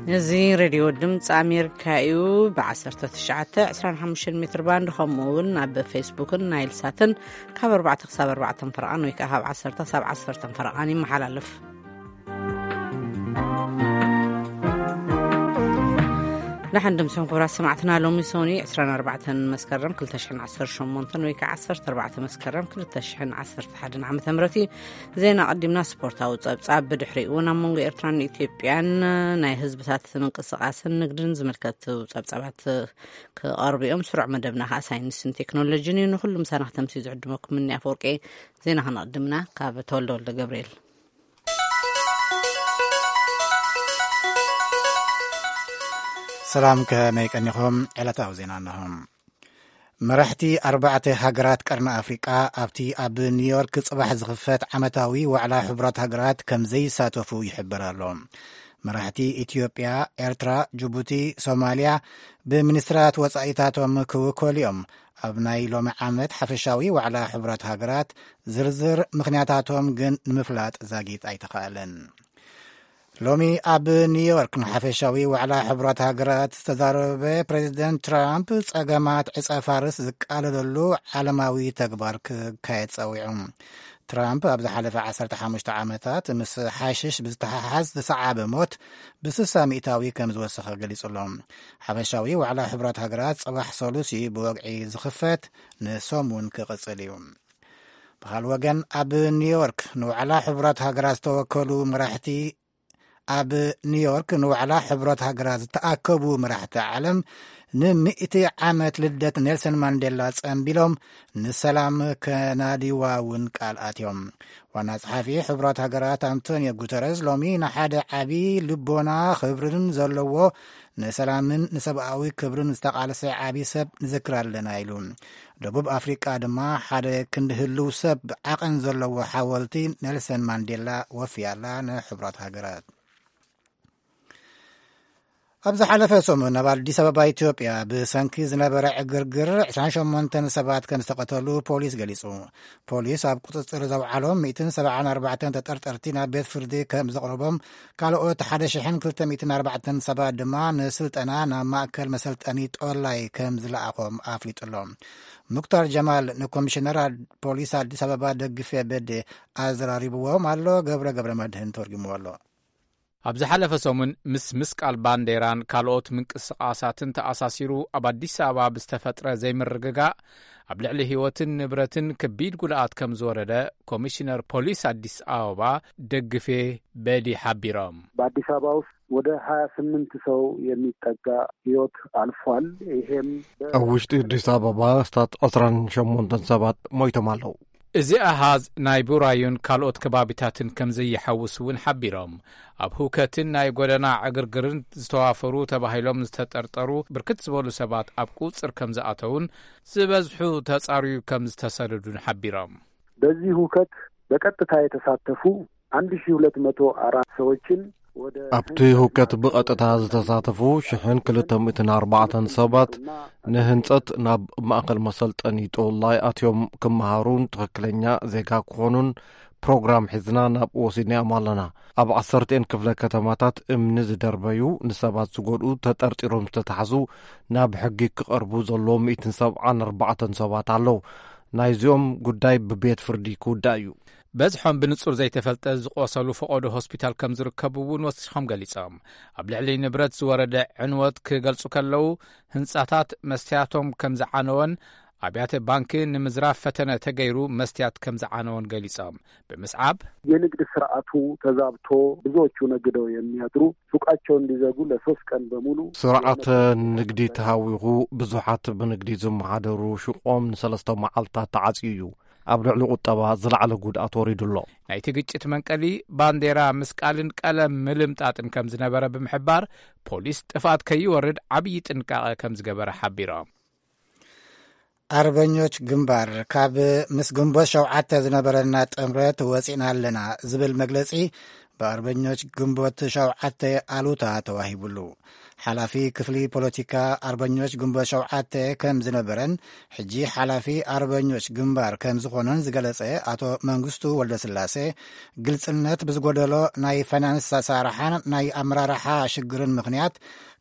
እዚ ሬድዮ ድምፂ ኣሜሪካ እዩ። ብ19፣ 25 ሜትር ባንድ፣ ከምኡ እውን ኣብ ፌስቡክን ናይል ሳትን ካብ 4 ክሳብ 4 ፈረቓን ወይ ከዓ ካብ 10 ክሳብ 10 ፈረቓን ይመሓላለፍ። ንሓንድምስን ክቡራት ሰማዕትና፣ ሎሚ ሶኒ 24 መስከረም 2018 ወይ ከዓ 14 መስከረም 2011 ዓመተ ምህረት እዩ። ዜና ቀዲምና፣ ስፖርታዊ ጸብጻብ ብድሕሪኡ እውን ኣብ መንጎ ኤርትራን ኢትዮጵያን ናይ ህዝብታት ምንቅስቃስን ንግድን ዝምልከቱ ጸብጻባት ክቐርቡ እዮም። ስሩዕ መደብና ከዓ ሳይንስን ቴክኖሎጂን እዩ። ንኩሉ ምሳና ክተምሲ ዝዕድመኩም እኒ ኣፈወርቂ። ዜና ከነቕድምና ካብ ተወልደ ወልደ ገብርኤል። ሰላም፣ ከመይ ቀኒኹም? ዕለታዊ ዜና እንሆ። መራሕቲ ኣርባዕተ ሃገራት ቀርኒ ኣፍሪቃ ኣብቲ ኣብ ኒውዮርክ ጽባሕ ዝኽፈት ዓመታዊ ዋዕላ ሕቡራት ሃገራት ከም ዘይሳተፉ ይሕበር ኣሎ። መራሕቲ ኢትዮጵያ፣ ኤርትራ፣ ጅቡቲ፣ ሶማልያ ብሚኒስትራት ወጻኢታቶም ክውከሉ እዮም። ኣብ ናይ ሎሚ ዓመት ሓፈሻዊ ዋዕላ ሕቡራት ሃገራት ዝርዝር ምኽንያታቶም ግን ንምፍላጥ ዛጊት ኣይተኻእለን። ሎሚ ኣብ ኒውዮርክ ንሓፈሻዊ ዋዕላ ሕቡራት ሃገራት ዝተዛረበ ፕሬዚደንት ትራምፕ፣ ጸገማት ዕጸ ፋርስ ዝቃለለሉ ዓለማዊ ተግባር ክካየድ ጸዊዑ። ትራምፕ ኣብ ዝሓለፈ 15 ዓመታት ምስ ሓሽሽ ብዝተሓሓዝ ዝሰዓበ ሞት ብ60 ሚእታዊ ከም ዝወሰኸ ገሊጹ ኣሎ። ሓፈሻዊ ዋዕላ ሕቡራት ሃገራት ጽባሕ ሰሉሲ ብወግዒ ዝኽፈት፣ ንሶም እውን ክቕጽል እዩ። ብኻል ወገን፣ ኣብ ኒውዮርክ ንዋዕላ ሕቡራት ሃገራት ዝተወከሉ መራሕቲ ኣብ ኒውዮርክ ንዋዕላ ሕቡራት ሃገራት ዝተኣከቡ መራሕቲ ዓለም፣ ንምእቲ ዓመት ልደት ኔልሰን ማንዴላ ጸንቢሎም፣ ንሰላም ከናዲዋ እውን ቃል ኣትዮም። ዋና ጸሓፊ ሕቡራት ሃገራት ኣንቶኒዮ ጉተረዝ ሎሚ ንሓደ ዓቢ ልቦና ክብርን ዘለዎ፣ ንሰላምን ንሰብኣዊ ክብርን ዝተቓለሰ ዓቢ ሰብ ንዝክር ኣለና ኢሉ። ደቡብ ኣፍሪቃ ድማ ሓደ ክንዲ ህልው ሰብ ዓቐን ዘለዎ ሓወልቲ ኔልሰን ማንዴላ ወፍያላ ንሕቡራት ሃገራት። ኣብ ዝሓለፈ ሰሙን ኣብ ኣዲስ ኣበባ ኢትዮጵያ ብሰንኪ ዝነበረ ዕግርግር 28 ሰባት ከም ዝተቐተሉ ፖሊስ ገሊጹ። ፖሊስ ኣብ ቁጽጽር ዘውዓሎም 174 ተጠርጠርቲ ናብ ቤት ፍርዲ ከም ዘቕረቦም፣ ካልኦት 1,240 ሰባት ድማ ንስልጠና ናብ ማእከል መሰልጠኒ ጦላይ ከም ዝለኣኾም ኣፍሊጡ ኣሎ። ሙክታር ጀማል ንኮሚሽነር ኣድ-፣ ፖሊስ ኣዲስ ኣበባ ደግፌ በዴ ኣዘራሪብዎም ኣሎ። ገብረ ገብረ መድህን ተርጉምዎ ኣሎ። ኣብ ዝሓለፈ ሰሙን ምስ ምስቃል ባንዴራን ካልኦት ምንቅስቃሳትን ተኣሳሲሩ ኣብ ኣዲስ ኣበባ ብዝተፈጥረ ዘይምርግጋእ ኣብ ልዕሊ ህይወትን ንብረትን ከቢድ ጉድኣት ከም ዝወረደ ኮሚሽነር ፖሊስ ኣዲስ ኣበባ ደግፌ በዲ ሓቢሮም። በአዲስ አበባ ውስጥ ወደ 28 ሰው የሚጠጋ ህይወት አልፏል። ይሄም በ- ኣብ ውሽጢ ኣዲስ ኣበባ ስታት 28 ሰባት ሞይቶም ኣለዉ። እዚ ኣሃዝ ናይ ቡራዩን ካልኦት ከባቢታትን ከም ዘይሓውስ እውን ሓቢሮም። ኣብ ህውከትን ናይ ጎደና ዕግርግርን ዝተዋፈሩ ተባሂሎም ዝተጠርጠሩ ብርክት ዝበሉ ሰባት ኣብ ቁጽር ከም ዝኣተውን ዝበዝሑ ተጻርዩ ከም ዝተሰደዱን ሓቢሮም። በዚህ ሁከት በቀጥታ የተሳተፉ 1,204 ሰዎችን ወደ ኣብቲ ህውከት ብቐጥታ ዝተሳተፉ 1,204 ሰባት ንህንጸት ናብ ማእከል መሰልጠኒ ጦላይ ኣትዮም ክመሃሩን ትኽክለኛ ዜጋ ክኾኑን ፕሮግራም ሒዝና ናብ ወሲድናዮም ኣለና። ኣብ ዓሰርተን ክፍለ ከተማታት እምኒ ዝደርበዩ፣ ንሰባት ዝጎድኡ ተጠርጢሮም ዝተታሕዙ ናብ ሕጊ ክቐርቡ ዘለዎም 174 ሰባት ኣለዉ። ናይዚኦም ጉዳይ ብቤት ፍርዲ ክውዳእ እዩ። በዝሖም ብንጹር ዘይተፈልጠ ዝቆሰሉ ፈቐዶ ሆስፒታል ከም ዝርከቡ እውን ወሲኾም ገሊጾም። ኣብ ልዕሊ ንብረት ዝወረደ ዕንወት ክገልጹ ከለዉ፣ ህንጻታት መስትያቶም ከም ዝዓነወን ኣብያተ ባንኪ ንምዝራፍ ፈተነ ተገይሩ መስትያት ከም ዝዓነወን ገሊጾም። ብምስዓብ የንግድ ስርዓቱ ተዛብቶ ብዙዎቹ ነግደው የሚያድሩ ሱቃቸው እንዲዘጉ ለሶስት ቀን በሙሉ ስርዓተ ንግዲ ተሃዊኹ፣ ብዙሓት ብንግዲ ዝመሓደሩ ሹቆም ንሰለስተ መዓልታት ተዓጽዩ እዩ። ኣብ ልዕሊ ቁጠባ ዝለዓለ ጉድኣት ወሪዱ ኣሎ። ናይቲ ግጭት መንቀሊ ባንዴራ ምስቃልን ቀለም ምልምጣጥን ከም ዝነበረ ብምሕባር፣ ፖሊስ ጥፍኣት ከይወርድ ዓብዪ ጥንቃቐ ከም ዝገበረ ሓቢሮም። ኣርበኞች ግንባር ካብ ምስ ግንቦት 7 ዝነበረና ጥምረት ወፂና ኣለና ዝብል መግለፂ ብኣርበኞች ግንቦት 7 ኣሉታ ተዋሂቡሉ። ሓላፊ ክፍሊ ፖለቲካ ኣርበኞች ግንቦት ሸውዓተ ከም ዝነበረን ሕጂ ሓላፊ ኣርበኞች ግንባር ከም ዝኾነን ዝገለጸ ኣቶ መንግስቱ ወልደስላሴ፣ ግልጽነት ብዝጎደሎ ናይ ፋይናንስ ኣሰራርሓን ናይ ኣመራርሓ ሽግርን ምኽንያት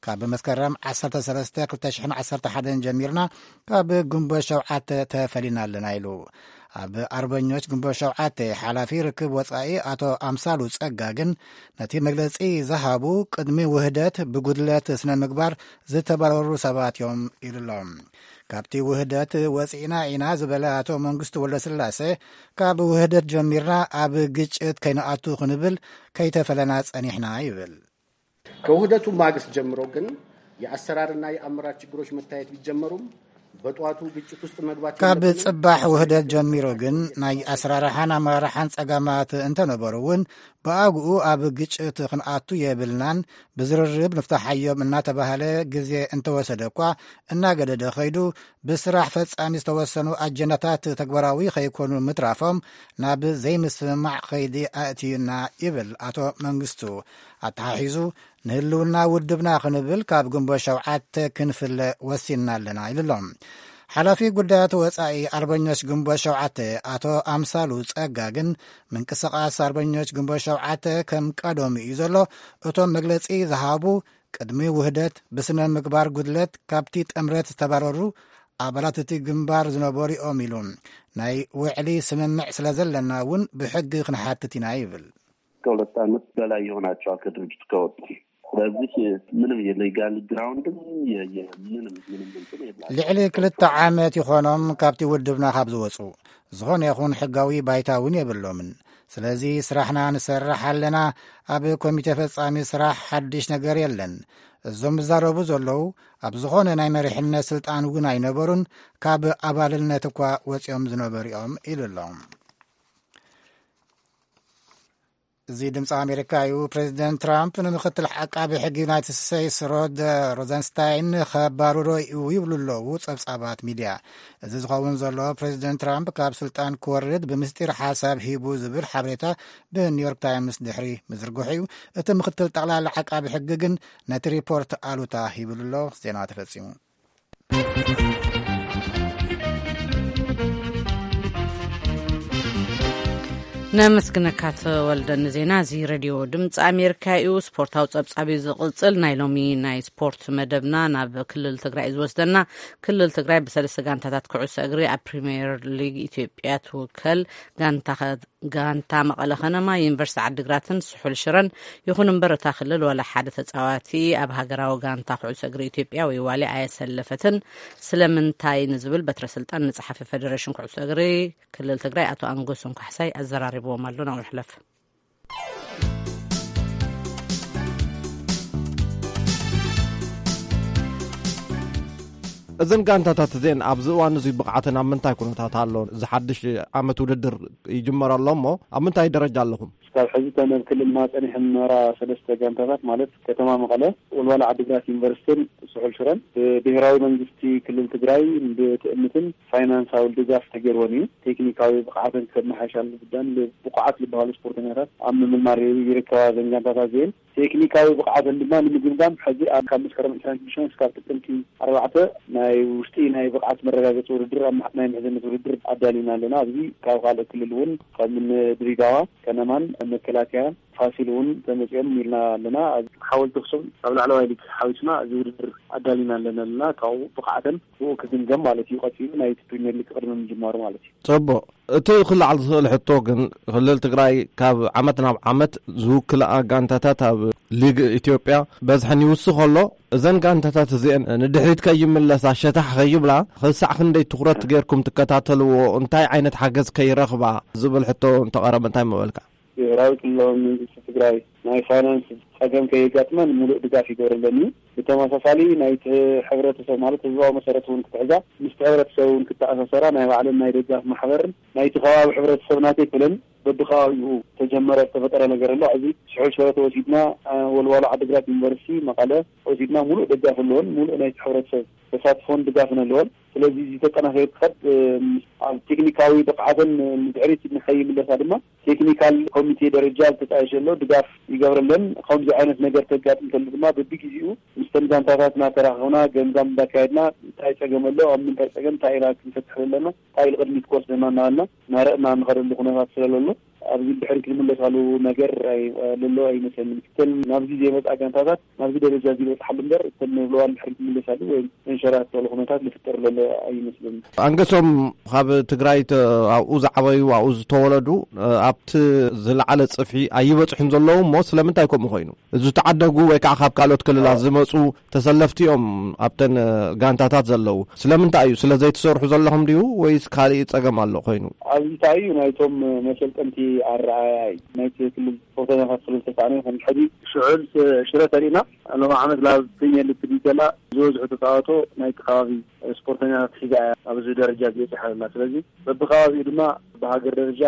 ካብ መስከረም ዓሰርተ ሰለስተ ክልተ ሽሕን ዓሰርተ ሓደን ጀሚርና ካብ ግንቦት ሸውዓተ ተፈሊና ኣለና ኢሉ። ኣብ ኣርበኞች ግንቦት ሸውዓተ ሓላፊ ርክብ ወጻኢ ኣቶ ኣምሳሉ ጸጋ ግን ነቲ መግለጺ ዝሃቡ ቅድሚ ውህደት ብጉድለት ስነ ምግባር ዝተባረሩ ሰባት እዮም ኢሉ ኣሎ። ካብቲ ውህደት ወጺእና ኢና ዝበለ ኣቶ መንግስቱ ወልደስላሴ፣ ካብ ውህደት ጀሚርና ኣብ ግጭት ከይንኣቱ ክንብል ከይተፈለና ጸኒሕና ይብል። ከውህደቱ ማግስት ጀምሮ ግን የአሰራርና የአመራር ችግሮች መታየት ቢጀመሩም በጠዋቱ ግጭት ውስጥ መግባት ካብ የለብንም። ጽባሕ ውህደት ጀሚሩ ግን ናይ ኣሰራርሓን ኣመራርሓን ጸገማት እንተነበሩ እውን ብኣግኡ ኣብ ግጭት ክንኣቱ የብልናን፣ ብዝርርብ ንፍታሓዮም እናተባህለ ግዜ እንተወሰደ እኳ እናገደደ ኸይዱ ብስራሕ ፈጻሚ ዝተወሰኑ ኣጀንዳታት ተግባራዊ ኸይኮኑ ምትራፎም ናብ ዘይምስምማዕ ኸይዲ ኣእትዩና ይብል ኣቶ መንግስቱ። ኣተሓሒዙ ንህልውና ውድብና ክንብል ካብ ግንቦት ሸውዓተ ክንፍለ ወሲንና ኣለና ኢሉ ኣሎ። ሓላፊ ጉዳያት ወጻኢ ኣርበኞች ግንቦት ሸውዓተ ኣቶ ኣምሳሉ ጸጋ ግን ምንቅስቓስ ኣርበኞች ግንቦት ሸውዓተ ከም ቀደሙ እዩ ዘሎ። እቶም መግለጺ ዝሃቡ ቅድሚ ውህደት ብስነ ምግባር ጉድለት ካብቲ ጥምረት ዝተባረሩ ኣባላት እቲ ግንባር ዝነበሩ እዮም ኢሉ። ናይ ውዕሊ ስምምዕ ስለ ዘለና እውን ብሕጊ ክንሓትት ኢና ይብል። ከሁለት ዓመት በላይ ይሆናቸዋል ከድርጅቱ ከወጡ። ስለዚህ ምንም የሌጋል ግራውንድም ምንም ምንም ምንም የላ ልዕሊ ክልተ ዓመት ይኾኖም ካብቲ ውድብና ካብ ዝወፁ። ዝኾነ ይኹን ሕጋዊ ባይታ እውን የብሎምን። ስለዚ ስራሕና ንሰርሕ ኣለና። ኣብ ኮሚቴ ፈጻሚ ስራሕ ሓድሽ ነገር የለን። እዞም ዝዛረቡ ዘለዉ ኣብ ዝኾነ ናይ መሪሕነት ስልጣን እውን ኣይነበሩን፣ ካብ ኣባልነት እኳ ወፂኦም ዝነበሩ እዮም ኢሉ ኣሎ። እዚ ድምፂ ኣሜሪካ እዩ። ፕሬዚደንት ትራምፕ ንምክትል ዓቃቢ ሕጊ ዩናይትድ ስቴትስ ሮድ ሮዘንስታይን ከባርሮ እዩ ይብሉ ኣለዉ ጸብጻባት ሚድያ። እዚ ዝኸውን ዘሎ ፕሬዚደንት ትራምፕ ካብ ስልጣን ክወርድ ብምስጢር ሓሳብ ሂቡ ዝብል ሓበሬታ ብኒውዮርክ ታይምስ ድሕሪ ምዝርግሑ እዩ። እቲ ምክትል ጠቕላላ ዓቃቢ ሕጊ ግን ነቲ ሪፖርት ኣሉታ ሂብሉ ኣሎ። ዜና ተፈጺሙ። ነመስግነካ ተወልደ ንዜና እዚ። ሬድዮ ድምፂ ኣሜሪካ እዩ። ስፖርታዊ ፀብፃብ እዩ ዝቕፅል። ናይ ሎሚ ናይ ስፖርት መደብና ናብ ክልል ትግራይ እዩ ዝወስደና። ክልል ትግራይ ብሰለስተ ጋንታታት ኩዕሶ እግሪ ኣብ ፕሪምየር ሊግ ኢትዮጵያ ትውከል። ጋንታ ከ- ጋንታ መቐለ ከነማ፣ ዩኒቨርሲቲ ዓዲግራትን ስሑል ሽረን። ይኹን እምበር እታ ክልል ዋላ ሓደ ተፃዋቲ ኣብ ሃገራዊ ጋንታ ኩዕሶ እግሪ ኢትዮጵያ ወይ ዋልያ ኣየሰለፈትን። ስለምንታይ ንዝብል በትረ ስልጣን ንፀሓፊ ፌደሬሽን ኩዕሶ እግሪ ክልል ትግራይ ኣቶ ኣንጎሶም ካሕሳይ ኣዘራሪብዎም ኣሎ። ናብኡ ንሕለፍ። እዘን ጋንታታት እዚአን ኣብዚ እዋን እዚ ብቕዓተን ኣብ ምንታይ ኩነታት ኣሎ? እዚ ሓድሽ ዓመት ውድድር ይጅመር ኣሎ እሞ ኣብ ምንታይ ደረጃ ኣለኹም? ክሳብ ሕዚ እተን ኣብ ክልልና ጸኒሐን ዝነበራ ሰለስተ ጋንታታት ማለት ከተማ መቐለ፣ ወልዋሎ ዓዲግራት ዩኒቨርሲቲን ስሑል ሽረን ብብሄራዊ መንግስቲ ክልል ትግራይ ብትእምትን ፋይናንሳዊ ድጋፍ ተገይርወን እዩ። ቴክኒካዊ ብቕዓተን ከመሓይሻ ዝግባኣን ብቑዓት ዝበሃሉ ስፖርተኛታት ኣብ ምምልማል ይርከባ እዘን ጋንታታት እዚአን። ቴክኒካዊ ብቕዓተን ድማ ንምግምጋም ሕዚ ኣብ ካብ መስከረም ዕስራን ሽዱሽተን እስካብ ጥቅምቲ ኣርባዕተ ናይ ውሽጢ ናይ ብቕዓት መረጋገፂ ውድድር ኣብ ናይ ምሕዝነት ውድድር ኣዳሊና ኣለና። ኣብዚ ካብ ካልእ ክልል እውን ከም ድሬዳዋ ከነማን መከላከያን ፋሲል እውን ተመፂኦም ኢልና ኣለና። ኣብ ሓወልቲ ኣክሱም ኣብ ላዕለዋይ ሊግ ሓዊስና እዚ ውድድር ኣዳሊና ኣለና ኣለና። ካብኡ ብቕዓተን ብኡ ክግምገም ማለት እዩ። ቀፂሉ ናይቲ ፕሪሚየር ሊግ ቅድሚ ምጅማሩ ማለት እዩ። ፅቡቕ። እቲ ክለዓል ዝኽእል ሕቶ ግን ክልል ትግራይ ካብ ዓመት ናብ ዓመት ዝውክልኣ ጋንታታት ኣብ ሊግ ኢትዮጵያ በዝሐን ይውስኽ ኣሎ። እዘን ጋንታታት እዚአን ንድሕሪት ከይምለሳ ሸታሕ ከይብላ ክሳዕ ክንደይ ትኹረት ገይርኩም ትከታተልዎ፣ እንታይ ዓይነት ሓገዝ ከይረኽባ ዝብል ሕቶ እንተቐረበ እንታይ ምበልካ? ብሄራዊ ክልላዊ መንግስቲ ትግራይ ናይ ፋይናንስ ፀገም ከየጋጥመን ሙሉእ ድጋፍ ይገብረለን እዩ። ብተመሳሳሊ ናይቲ ሕብረተሰብ ማለት ህዝባዊ መሰረት እውን ክትሕዛ ምስቲ ሕብረተሰብ እውን ክተኣሳሰራ ናይ ባዕለን ናይ ደጋፍ ማሕበርን ናይቲ ከባቢ ሕብረተሰብ ናተይ ክብለን በብከባቢኡ ተጀመረ ዝተፈጠረ ነገር ኣሎ። እዚ ስሑል ሽረ ተወሲድና ወልዋሎ ዓዲግራት ዩኒቨርሲቲ መቐለ ወሲድና ሙሉእ ደጋፍ ኣለወን። ሙሉእ ናይቲ ሕብረተሰብ ተሳትፎን ድጋፍን ኣለወን። ስለዚ እዚ ተጠናኺሩ ክኸድ ኣብ ቴክኒካዊ ብቕዓተን ንድሕሪት ንኸይምለሳ ድማ ቴክኒካል ኮሚቴ ደረጃ ዝተጣየሸ ኣሎ፣ ድጋፍ ይገብረለን። ከምዚ ዓይነት ነገር ተጋጥም ከሎ ድማ በብግዜኡ ምስ ተን ጋንታታት እናተራኸብና ገምጋም እንዳካየድና እንታይ ፀገም ኣሎ፣ ኣብ ምንታይ ፀገም እንታይ ኢና ክንፈትሕ ዘለና፣ እንታይ ኢሉ ቅድሚት ክወስደና እናበልና እናረእና እንኸደሉ ኩነታት ስለለሎ ኣብዚ ድሕሪት ዝምለሳሉ ነገር ኣይ- ለሎ ኣይመስለንን። እተን ናብዚ ዘይመፃ ጋንታታት ናብዚ ደረጃ እዚ ይበፅሓሉ እምበር እተን ንብለዋን ድሕሪት ዝምለሳሉ ወይ መንሸራተሉ ኩነታት ዝፍጠር ለሎ ኣይመስለንን። ኣንገሶም ካብ ትግራይ ተ- ኣብኡ ዝዓበዩ ኣብኡ ዝተወለዱ ኣብቲ ዝለዓለ ፅፍሒ ኣይበፅሑን ዘለዉ እሞ ስለምንታይ ከምኡ ኮይኑ? ዝተዓደጉ ወይ ከዓ ካብ ካልኦት ክልላት ዝመፁ ተሰለፍቲ እዮም ኣብተን ጋንታታት ዘለዉ። ስለምንታይ እዩ? ስለ ዘይትሰርሑ ዘለኹም ድዩ ወይስ ካልእ ፀገም ኣሎ ኮይኑ? ኣብዚ እንታይ እዩ ናይቶም መሰልጠንቲ ኣረኣእያ እዩ። ናይቲ ክልል ስፖርተኛታት ስለ ዝተሳእነ ይኹን ሕዚ ሽዑ ሽረ ተሪእና ሎም ዓመት ናብ ፕሪሚየር ሊግ ትድይ ከላ ዝበዝሑ ተፃወቶ ናይቲ ከባቢ ስፖርተኛታት ሒዛ እያ ኣብዚ ደረጃ ዝበፅሐ ዘላ። ስለዚ በብከባቢኡ ድማ ብሃገር ደረጃ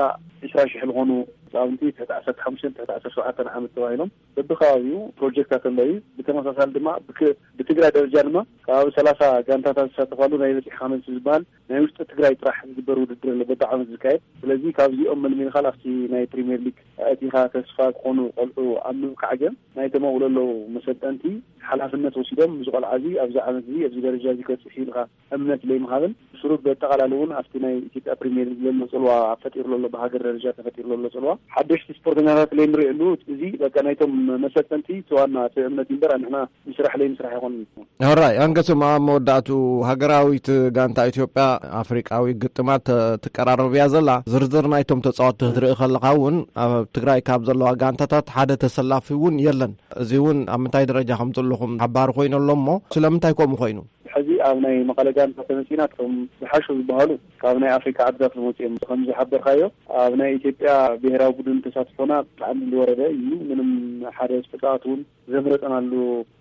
ዕስራ ሽሕ ዝኾኑ ህፃውንቲ ትሕቲ ዓሰርተ ሓሙሽተ ትሕቲ ዓሰርተ ሸውዓተ ዓመት ተባሂሎም በብከባቢኡ ፕሮጀክታት ኣለዉ። ብተመሳሳሊ ድማ ብክ- ብትግራይ ደረጃ ድማ ከባቢ ሰላሳ ጋንታታት ዝሳተፋሉ ናይ በፂሕካ መልሲ ዝበሃል ናይ ውሽጢ ትግራይ ጥራሕ ዝግበር ውድድር ኣሎ በብዓመት ዝካየድ። ስለዚ ካብዚኦም መልሚልካ ኣብቲ ናይ ፕሪሚየር ሊግ ኣእቲኻ ተስፋ ክኾኑ ቆልዑ ኣብ ምብቃዕ ግን ናይ ተመቕሎ ኣለዉ መሰልጠንቲ ሓላፍነት ወሲዶም እዚ ቆልዓ እዚ ኣብዚ ዓመት እዚ ኣብዚ ደረጃ እዚ ከብፅሕ ኢልካ እምነት ለይምሃብን ብስሩ በጠቓላሊ እውን ኣብቲ ናይ ኢትዮጵያ ፕሪሚየር ሊግ ለሎ ፅልዋ ኣብ ፈጢሩ ለሎ ብሃገር ደረጃ ተፈጢሩ ለሎ ፅልዋ ሓደሽቲ ስፖርተኛታት ለይንሪእሉ እዚ በቃ ናይቶም መሰልጠንቲ እቲ ዋና እቲ እምነት እዩ እምበር ንሕና ምስራሕ ለይምስራሕ ኣይኮንን። ሕራይ ኣንገሶም ኣብ መወዳእቱ ሃገራዊት ጋንታ ኢትዮጵያ ኣፍሪቃዊ ግጥማት ትቀራረብ እያ ዘላ። ዝርዝር ናይቶም ተፃወትቲ ክትርኢ ከለኻ እውን ኣብ ትግራይ ካብ ዘለዋ ጋንታታት ሓደ ተሰላፊ እውን የለን። እዚ እውን ኣብ ምንታይ ደረጃ ከም ዘለኹም ሓባሪ ኮይኑ ኣሎ እሞ ስለምንታይ ከምኡ ኮይኑ? ሕዚ ኣብ ናይ መቐለ ጋንታ ተመፂና እቶም ዝሓሹ ዝበሃሉ ካብ ናይ ኣፍሪካ ዓድታት ዝመፁ እዮም። ከም ዝሓበርካዮ ኣብ ናይ ኢትዮጵያ ብሄራዊ ቡድን ተሳትፎና ብጣዕሚ ዝወረደ እዩ። ምንም ሓደ ተፃዋት እውን ዘምረጠናሉ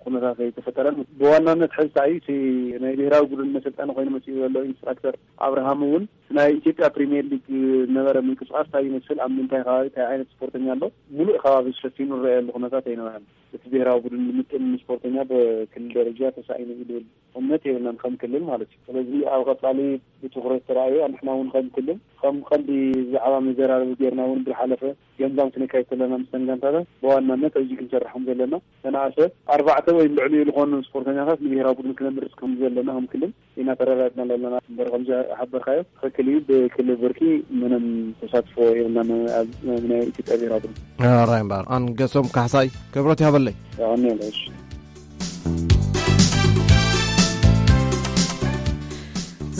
ኩነታት ኣይተፈጠረን። ብዋናነት ሕዚ እንታይ እዩ እቲ ናይ ብሄራዊ ቡድን መሰልጠኒ ኮይኑ መፅኡ ዘሎ ኢንስትራክተር ኣብርሃም እውን ናይ ኢትዮጵያ ፕሪሚየር ሊግ ዝነበረ ምንቅስቃስ እንታይ ይመስል፣ ኣብ ምንታይ ከባቢ እንታይ ዓይነት ስፖርተኛ ኣሎ፣ ሙሉእ ከባቢ ሸፊኑ ዝረኣየሉ ኩነታት ኣይነበረን። እቲ ብሄራዊ ቡድን ንምጥን ስፖርተኛ ብክልል ደረጃ ተሳኢኑ እዩ ዝብል እምነት የብልናን ከም ክልል ማለት እዩ። ስለዚ ኣብ ቀፃሊ ብትኹረት ተራእዩ ንሕና እውን ከም ክልል ከም ቀንዲ ዛዕባ መዘራረቢ ጌርና እውን ብዝሓለፈ ገምጋም ክነካይድ ከለና ምስ ተን ጋንታታት ብዋናነት ኣብዚ ክንሰርሖም ዘለና ተናእሰ ኣርባዕተ ወይ ልዕሊኡ ዝኾኑ ስፖርተኛታት ንብሄራዊ ቡድን ክነምርፅ ከም ዘለና ከም ክልል ኢና ተረዳድና ዘለና እምበር ከምዚ ሓበርካዮ ትኽክል እዩ። ብክልል ብርኪ ምንም ተሳትፎ የብልናን ኣብ ናይ ኢትዮጵያ ብሄራዊ ቡድን። ራይ እምበር ኣንገሶም ካሕሳይ ክብረት ይሃበለይ። ያኔ ነሽ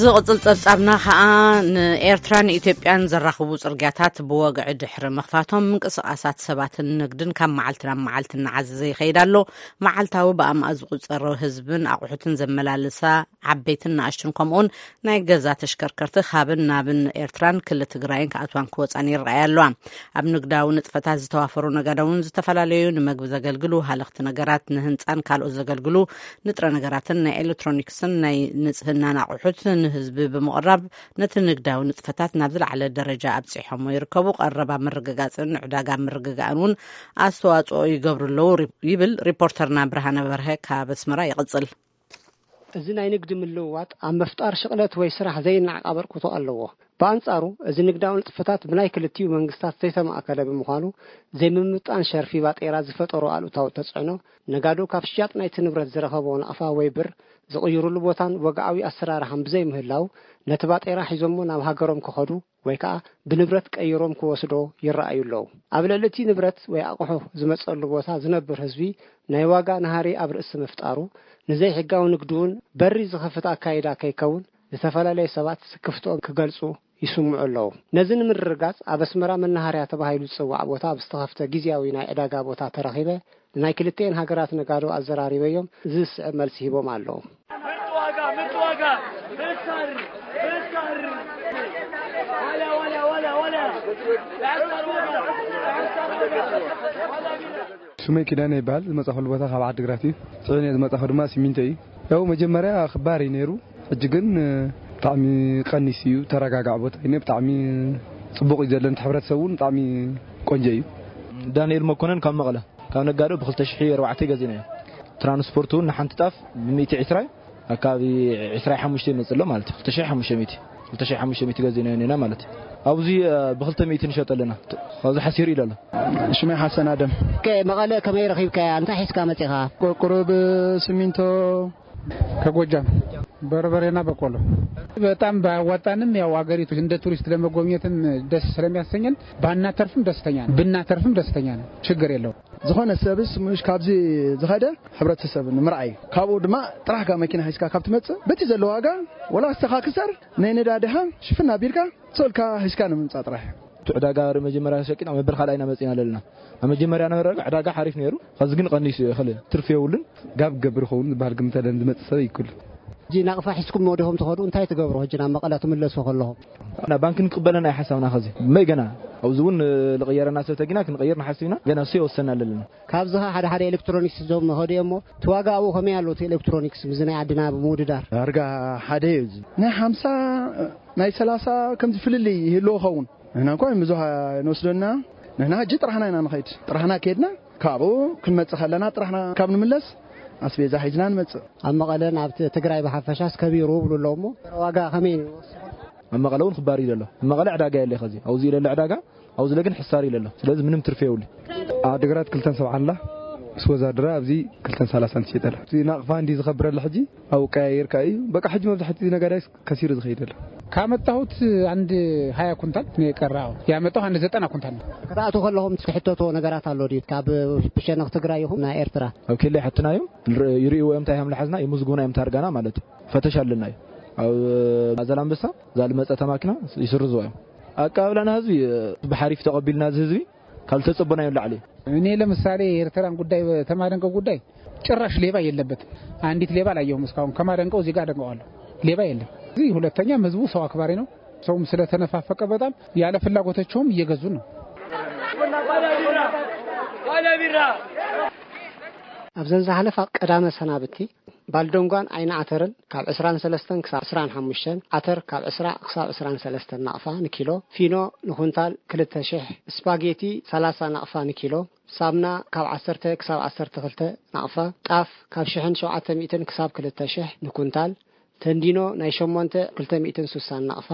ዝቕፅል ፀብፃብና ከዓ ንኤርትራን ኢትዮጵያን ዘራኽቡ ፅርግያታት ብወግዒ ድሕሪ ምኽፋቶም ምንቅስቓሳት ሰባትን ንግድን ካብ መዓልቲ ናብ መዓልቲ እናዓዘዘ ይኸይድ ኣሎ። መዓልታዊ ብኣማእ ዝቑፀሩ ህዝብን ኣቑሑትን ዘመላልሳ ዓበይትን ንኣሽቱን ከምኡውን ናይ ገዛ ተሽከርከርቲ ካብን ናብን ኤርትራን ክሊ ትግራይን ክኣትዋን ክወፃን ይረኣያ ኣለዋ። ኣብ ንግዳዊ ንጥፈታት ዝተዋፈሩ ነጋዶ እውን ዝተፈላለዩ ንመግቢ ዘገልግሉ ሃለኽቲ ነገራት፣ ንህንፃን ካልኦት ዘገልግሉ ንጥረ ነገራትን ናይ ኤሌክትሮኒክስን ናይ ንፅህናን ኣቑሑት ንህዝቢ ብምቕራብ ነቲ ንግዳዊ ንጥፈታት ናብ ዝለዓለ ደረጃ ኣብፂሖሞ ይርከቡ። ቀረብ ኣብ ምርግጋፅን ንዕዳጋ ምርግጋእን እውን ኣስተዋፅኦ ይገብሩ ኣለዉ ይብል ሪፖርተርና ብርሃነ በርሀ ካብ ኣስመራ ይቕፅል። እዚ ናይ ንግዲ ምልውዋጥ ኣብ ምፍጣር ሽቕለት ወይ ስራሕ ዘይነዓቕ ኣበርክቶ ኣለዎ። ብኣንጻሩ፣ እዚ ንግዳዊ ንጥፈታት ብናይ ክልቲኡ መንግስታት ዘይተማእከለ ብምዃኑ፣ ዘይምምጥጣን ሸርፊ ባጤራ ዝፈጠሮ ኣሉታዊ ተጽዕኖ፣ ነጋዶ ካብ ሽያጥ ናይቲ ንብረት ዝረኸቦ ናቕፋ ወይ ብር ዝቕይሩሉ ቦታን ወግዓዊ ኣሰራርሓን ብዘይምህላው፣ ነቲ ባጤራ ሒዞሞ ናብ ሃገሮም ክኸዱ ወይ ከኣ ብንብረት ቀይሮም ክወስዶ ይረኣዩ ኣለዉ። ኣብ ልዕሊ እቲ ንብረት ወይ ኣቕሑ ዝመጸሉ ቦታ ዝነብር ህዝቢ ናይ ዋጋ ናህሪ ኣብ ርእሲ ምፍጣሩ፣ ንዘይሕጋዊ ንግዲ እውን በሪ ዝኸፍት ኣካይዳ ከይከውን ዝተፈላለዩ ሰባት ስክፍትኦም ክገልጹ ይስምዑ ኣለዉ። ነዚ ንምርግጋጽ ኣብ ኣስመራ መናሃርያ ተባሂሉ ዝጽዋዕ ቦታ ኣብ ዝተኸፍተ ግዝያዊ ናይ ዕዳጋ ቦታ ተረኺበ ንናይ ክልቲኤን ሃገራት ነጋዶ ኣዘራሪበዮም እዚ ዝስዕብ መልሲ ሂቦም ኣለዉ። ስመይ ኪዳነ ይበሃል። ዝመጻኹሉ ቦታ ካብ ዓዲግራት እዩ። ጽዒነ ዝመጻኹ ድማ ሲሚንቶ እዩ። ያው መጀመርያ ክባር እዩ ነይሩ። ሕጂ ግን ብጣዕሚ ቀኒስ እዩ። ተረጋጋዕ ቦታ እዩ። ብጣዕሚ ጽቡቕ እዩ ዘሎ። ንቲ ሕብረተሰብ እውን ብጣዕሚ ቆንጆ እዩ። ዳንኤል መኮነን ካብ መቐለ። ካብ ነጋዶ ብ ክልተ ሽሕ ኣርባዕተ ገዚእናዮ። ትራንስፖርት እውን ንሓንቲ ጣፍ ብ ሚእቲ ዕስራ እዩ። ኣካባቢ ዕስራ ሓሙሽተ ይመጽእ ኣሎ ማለት እዩ። ክልተ ሽሕ ሓሙሽተ ሚእቲ፣ ክልተ ሽሕ ሓሙሽተ ሚእቲ ገዚእናዮ ነና ማለት እዩ። ኣብዚ ብክልተ ሚእቲ ንሸጠ ኣለና። ካብዚ ሓሲር ኢለ ኣሎ። ሽመይ ሓሰን ኣደም። መቐለ ከመይ ረኺብካያ? እንታይ ሒዝካ መጺኻ? ቁሩብ፣ ስሚንቶ፣ ከጎጃም በርበሬና በቆሎ። በጣም ባያዋጣንም፣ ያው አገሪቱ እንደ ቱሪስት ለመጎብኘትም ደስ ስለሚያሰኘን ባናተርፍም ደስተኛ ነን፣ ብናተርፍም ደስተኛ ነን። ችግር የለውም። ዝኾነ ሰብስ ምሽ ካብዚ ዝኸደ ሕብረተሰብ ንምርኣይ፣ ካብኡ ድማ ጥራሕካ መኪና ሒዝካ ካብ ትመጽእ፣ በቲ ዘሎ ዋጋ ወላ ኣስተኻክሰር ናይ ነዳድኻ ሽፍን ኣቢልካ ሰልካ ሒዝካ ንምምጻእ ጥራሕ። እቲ ዕዳጋ መጀመርያ ሸቂና መበል ካልኣይና መጺና ኣለና። ኣብ መጀመርያ ነበረ ዕዳጋ ሓሪፍ ነይሩ፣ ኸዚ ግን ቀኒሱ እዩ። እኽል ትርፊ የብሉን። ጋብ ገብር ኸውን ዝበሃል ግምት ኣለን ዝመጽእ ሰብ ይኩል። ሕጂ ናቕፋ ሒዝኩሞ ዲኹም ትኸዱ? እንታይ ትገብሩ ሕጂ ናብ መቐለ ትምለሱ ከለኹም? እና ባንክ ንቅበለና እዩ ሓሳብና። ኸዚ መይ ገና ኣብዚ እውን ልቕየረና ሰብ ተጊና ክንቕይር ንሓስብ ኢና። ገና እሱ የወሰና ኣለና። ካብዚ ኸ ሓደ ሓደ ኤሌክትሮኒክስ ዞም ኸዱ እሞ እቲ ዋጋ ኣብኡ ከመይ ኣሎ? እቲ ኤሌክትሮኒክስ ምስዚ ናይ ዓድና ብምውድዳር? ዳርጋ ሓደ እዩ። እዚ ናይ ሓምሳ ናይ ሰላሳ ከምዚ ፍልልይ ይህልዎ ኸውን። ንሕና እንኳ ብዙሕ ኣይንወስደና። ንሕና ሕጂ ጥራሕና ኢና ንኸይድ። ጥራሕና ከድና ካብኡ ክንመጽእ ከለና ጥራሕና ካብ ንምለስ ኣስቤዛ ሒዝና ንመጽእ። ኣብ መቐለ ናብ ት-፣ ትግራይ ብሓፈሻስ ከቢሩ ብሉ ኣለዉ እሞ ዋጋ ከመይ እዩ? ኣብ መቐለ እውን ክባር እዩ ዘሎ። ኣብ መቐለ ዕዳጋ የለ ኸዚ። ኣብዚ ኢለ ዕዳጋ፣ ኣብዚ ኢለ ግን ሕሳር ኢለ ኣሎ። ስለዚ ምንም ትርፊ የብሉ። ዓድግራት ክልተን ሰብዓ ኣላ። ምስ ወዛድራ ኣብዚ ክልተን ሰላሳን ትሸጠላ። እዚ ናቕፋ እንዲ ዝኸብረላ ሕጂ ኣብኡ ቀያየርካ እዩ። በቃ ሕጂ መብዛሕትኡ ነጋዳይ ከሲሩ ዝኸይድ ኣሎ። ካመጣሁት አንድ ሃያ ኩንታል ነው የቀረው። ያመጣሁ አንድ ዘጠና ኩንታል ነው። ክትኣትዉ ከለኹም ትሕተትዎ ነገራት ኣሎ ድዩ? ካብ ብሸነኽ ትግራይ ይኹን ናይ ኤርትራ? ኣብ ኬላ ይሓትና እዮም። ይር-፣ ይርእይዎ እዮም እንታይ ሃም ልሓዝና፣ ይምዝግቡና እዮም ታርጋና ማለት እዩ። ፈተሽ ኣለና እዩ። ኣብ ዛላምበሳ እዛ ልመጸተ ማኪና ይስርዝዎ እዮም። ኣቀባብላና ህዝቢ ብሓሪፍ ተቐቢልና እዚ ህዝቢ ካብ ዝተጸበናዮ ንላዕሊ እዩ። እኔ ለምሳሌ የኤርትራን ጉዳይ፣ ተማደንቀው ጉዳይ ጭራሽ ሌባ የለበትም። አንዲት ሌባ አላየሁም እስካሁን። ከማደንቀው እዚህ ጋር አደንቀዋለሁ። ሌባ የለም። እዚህ ሁለተኛ ህዝቡ ሰው አክባሪ ነው። ሰውም ስለተነፋፈቀ በጣም ያለ ፍላጎታቸውም እየገዙ ነው። ኣብዘን ዝሓለፋ ቀዳመ ሰናብቲ ባልደንጓን ዓይኒ ዓተርን ካብ ዕስራን ሰለስተን ክሳብ ዕስራን ሓሙሽተን፣ ዓተር ካብ ዕስራ ክሳብ ዕስራን ሰለስተን ናቕፋ ንኪሎ፣ ፊኖ ንኩንታል ክልተ ሽሕ፣ ስፓጌቲ ሰላሳ ናቕፋ ንኪሎ፣ ሳምና ካብ ዓሰርተ ክሳብ ዓሰርተ ክልተ ናቕፋ፣ ጣፍ ካብ ሽሕን ሸውዓተ ሚእትን ክሳብ ክልተ ሽሕ ንኩንታል፣ ተንዲኖ ናይ ሸሞንተ ክልተ ሚእትን ስሳን ናቕፋ፣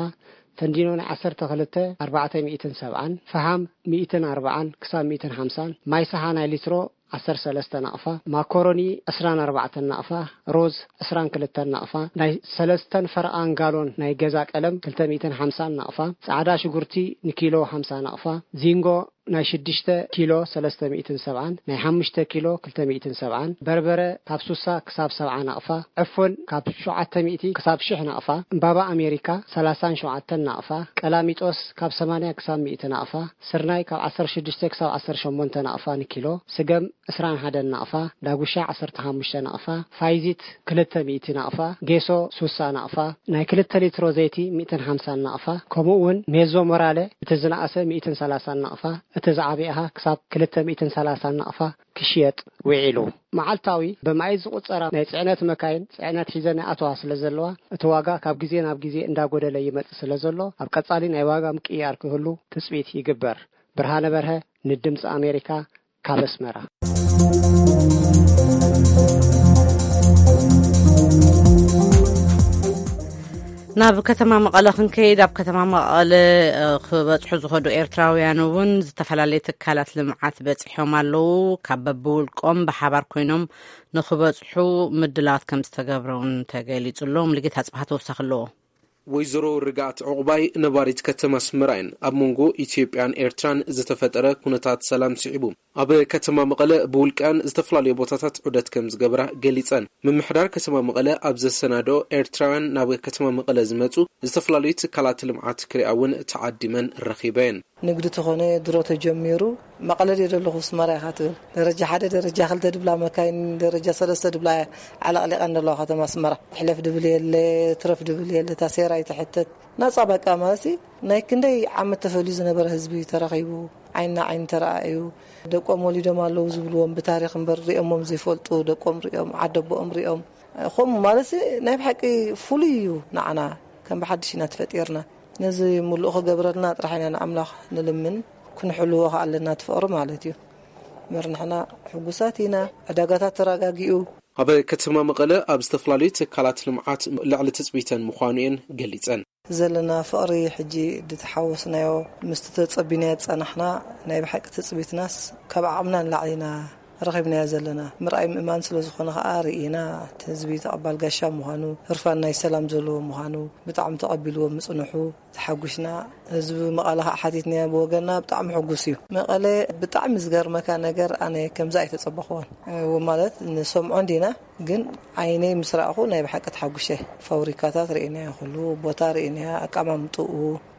ተንዲኖ ናይ ዓሰርተ ክልተ ኣርባዕተ ሚእትን ሰብዓን፣ ፈሃም ሚእትን ኣርባዓን ክሳብ ሚእትን ሓምሳን፣ ማይ ሰሓ ናይ ሊትሮ ዓሰርተ ሰለስተ ናቕፋ፣ ማኮሮኒ ዕስራን ኣርባዕተን ናቕፋ፣ ሮዝ ዕስራን ክልተን ናቕፋ፣ ናይ ሰለስተን ፈርቓን ጋሎን ናይ ገዛ ቀለም ክልተ ሚእትን ሓምሳን ናቕፋ፣ ጻዕዳ ሽጉርቲ ንኪሎ ሓምሳ ናቕፋ፣ ዚንጎ ናይ ሽዱሽተ ኪሎ ሰለስተ ሚእትን ሰብዓን፣ ናይ ሓሙሽተ ኪሎ ክልተ ሚእትን ሰብዓን፣ በርበረ ካብ ስሳ ክሳብ ሰብዓ ናቕፋ፣ ዕፉን ካብ ሸውዓተ ሚእቲ ክሳብ ሽሕ ናቕፋ፣ እምባባ ኣሜሪካ ሰላሳን ሸውዓተን ናቕፋ፣ ቀላሚጦስ ካብ ሰማንያ ክሳብ ሚእቲ ናቕፋ፣ ስርናይ ካብ ዓሰርተ ሽዱሽተ ክሳብ ዓሰርተ ሸሞንተ ናቕፋ ንኪሎ፣ ስገም ዕስራን ሓደን ናቕፋ፣ ዳጉሻ ዓሰርተ ሓሙሽተ ናቕፋ፣ ፋይዚት ክልተ ሚእቲ ናቕፋ፣ ጌሶ ስሳ ናቕፋ፣ ናይ ክልተ ሊትሮ ዘይቲ ሚእትን ሓምሳን ናቕፋ፣ ከምኡ እውን ሜዞ ሞራለ እቲ ዝነኣሰ ሚእትን ሰላሳን ናቕፋ፣ እቲ ዝዓበየ ኸኣ ክሳብ ክልተ ሚእትን ሰላሳን ናቕፋ ክሽየጥ ውዒሉ። መዓልታዊ ብማይ ዝቑጸራ ናይ ጽዕነት መካይን ጽዕነት ሒዘን ይኣተዋ ስለ ዘለዋ፣ እቲ ዋጋ ካብ ግዜ ናብ ግዜ እንዳጎደለ ይመጽእ ስለ ዘሎ፣ ኣብ ቀጻሊ ናይ ዋጋ ምቅይያር ክህሉ ትጽቢት ይግበር። ብርሃነ በርሀ ንድምጺ ኣሜሪካ ካብ ኣስመራ። ናብ ከተማ መቐለ ክንከይድ፣ ኣብ ከተማ መቐለ፣ እ፣ ክበጽሑ ዝኸዱ ኤርትራውያን እውን ዝተፈላለዩ ትካላት ልምዓት በጺሖም ኣለዉ። ካብ በብውልቆም ብሓባር ኮይኖም ንኽበጽሑ ምድላዋት ከም ዝተገብረ እውን ተገሊጹ ኣሎ። ሙሉጌታ ኣጽብሃ ተወሳኺ ኣለዎ። ወይዘሮ ርግኣት ዕቑባይ ነባሪት ከተማ ኣስመራ እየን። ኣብ መንጎ ኢትዮጵያን ኤርትራን ዝተፈጠረ ኩነታት ሰላም ስዒቡ፣ ኣብ ከተማ መቐለ ብውልቀን ዝተፈላለዩ ቦታታት ዑደት ከም ዝገብራ ገሊጸን። ምምሕዳር ከተማ መቐለ ኣብ ዘሰናድኦ ኤርትራውያን ናብ ከተማ መቐለ ዝመጹ ዝተፈላለዩ ትካላት ልምዓት ክሪኣ እውን ተዓዲመን ረኺበን። ንግዲ ተኾነ ድሮ ተጀሚሩ፣ መቐለ ድየ ዘለኹ ኣስመራ ኢኻ ትብል። ደረጃ ሓደ፣ ደረጃ ክልተ ድብላ መካይን፣ ደረጃ ሰለስተ ድብላ ዓለቕሊቐን ዘለዋ ከተማ ኣስመራ። ሕለፍ ድብል የለ፣ ትረፍ ድብል የለ፣ ታሴራ ይትሕተት። ናጻ በቃ ማለትሲ ናይ ክንደይ ዓመት ተፈልዩ ዝነበረ ህዝቢ ተረኺቡ፣ ዓይንና ዓይኒ ተረኣዩ። ደቆም ወሊዶም ኣለዉ ዝብልዎም ብታሪኽ እምበር ሪኦሞም ዘይፈልጡ፣ ደቆም ሪኦም፣ ዓደቦኦም ሪኦም። ከምኡ ማለትሲ ናይ ብሓቂ ፍሉይ እዩ ንዓና፣ ከም ብሓድሽ ኢና ተፈጢርና። ነዚ ምሉእ ክገብረልና ጥራሕ ኢና ንኣምላኽ ንልምን፣ ክንሕልዎ ከኣ ኣለና እቲ ፍቕሪ ማለት እዩ። እምበር ንሕና ሕጉሳት ኢና። ዕዳጋታት ተረጋጊኡ፣ ኣብ ከተማ መቐለ ኣብ ዝተፈላለዩ ትካላት ልምዓት ልዕሊ ትጽቢተን ምዃኑ እየን ገሊጸን። ዘለና ፍቕሪ፣ ሕጂ ድተሓወስናዮ፣ ምስቲ ተጸቢናዮ ዝጸናሕና ናይ ብሓቂ ትጽቢትናስ ካብ ዓቕምና ንላዕሊ ኢና ረኺብናዮ ዘለና። ምርኣይ ምእማን ስለ ዝኾነ ከኣ ርኢና፣ እቲ ህዝቢ ተቐባል ጋሻ ምዃኑ፣ ህርፋን ናይ ሰላም ዘለዎ ምዃኑ ብጣዕሚ ተቐቢልዎ ምጽንሑ ተሓጒስና። ህዝቢ መቐለ ከዓ ሓቲትናዮ ብወገንና ብጣዕሚ ሕጉስ እዩ። መቐለ ብጣዕሚ ዝገርመካ ነገር ኣነ ከምዚ ኣይተጸበኽዎን። እ፣ ማለት ንሰምዖ እንዲና፣ ግን ዓይነይ ምስ ረኣኹ ናይ ብሓቂ ተሓጒሰ። ፋብሪካታት ርኢናዮ፣ ኩሉ ቦታ ርኢናዮ፣ ኣቀማምጥኡ፣